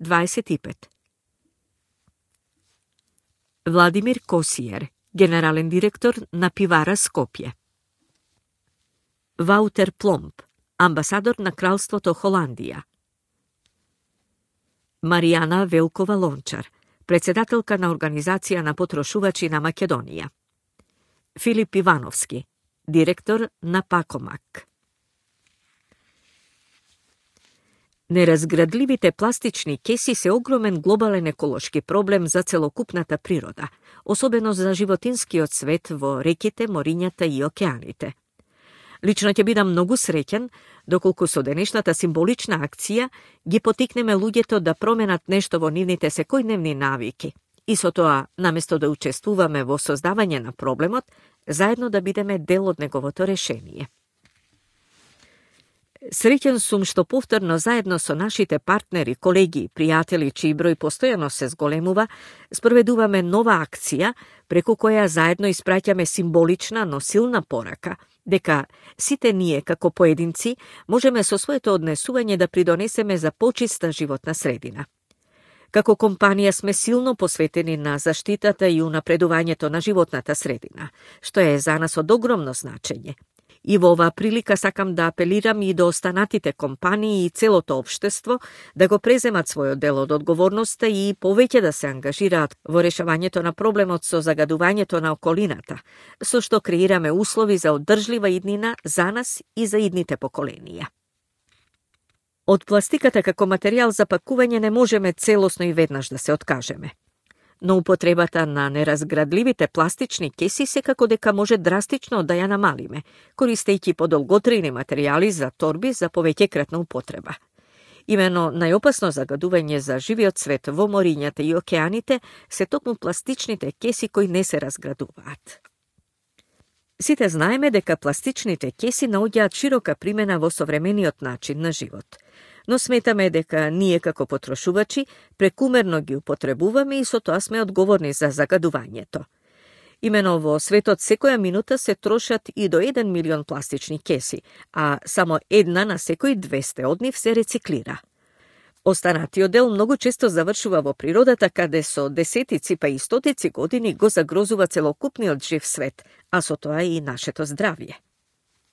25. Владимир Косиер, генерален директор на пивара Скопје. Ваутер Пломб, амбасадор на Кралството Холандија. Маријана Велкова Лончар, председателка на Организација на потрошувачи на Македонија. Филип Ивановски, директор на Пакомак. Неразградливите пластични кеси се огромен глобален еколошки проблем за целокупната природа, особено за животинскиот свет во реките, морињата и океаните. Лично ќе бидам многу среќен доколку со денешната символична акција ги потикнеме луѓето да променат нешто во нивните секојдневни навики и со тоа, наместо да учествуваме во создавање на проблемот, заедно да бидеме дел од неговото решение. Среќен сум што повторно заедно со нашите партнери, колеги, пријатели, чиј број постојано се зголемува, спроведуваме нова акција преку која заедно испраќаме символична, но силна порака дека сите ние како поединци можеме со своето однесување да придонесеме за почиста животна средина. Како компанија сме силно посветени на заштитата и унапредувањето на животната средина, што е за нас од огромно значење. И во оваа прилика сакам да апелирам и до останатите компании и целото општество да го преземат својот дел од одговорноста и повеќе да се ангажираат во решавањето на проблемот со загадувањето на околината, со што креираме услови за одржлива иднина за нас и за идните поколенија. Од пластиката како материјал за пакување не можеме целосно и веднаш да се откажеме. Но употребата на неразградливите пластични кеси секако дека може драстично да ја намалиме, користејќи подолготрajни материјали за торби за повеќекратна употреба. Имено најопасно загадување за живиот свет во морињата и океаните се токму пластичните кеси кои не се разградуваат. Сите знаеме дека пластичните кеси наоѓаат широка примена во современиот начин на живот. Но сметаме дека ние како потрошувачи прекумерно ги употребуваме и со тоа сме одговорни за загадувањето. Имено во светот секоја минута се трошат и до 1 милион пластични кеси, а само една на секои 200 од нив се рециклира. Останатиот дел многу често завршува во природата, каде со десетици па и стотици години го загрозува целокупниот жив свет, а со тоа и нашето здравје.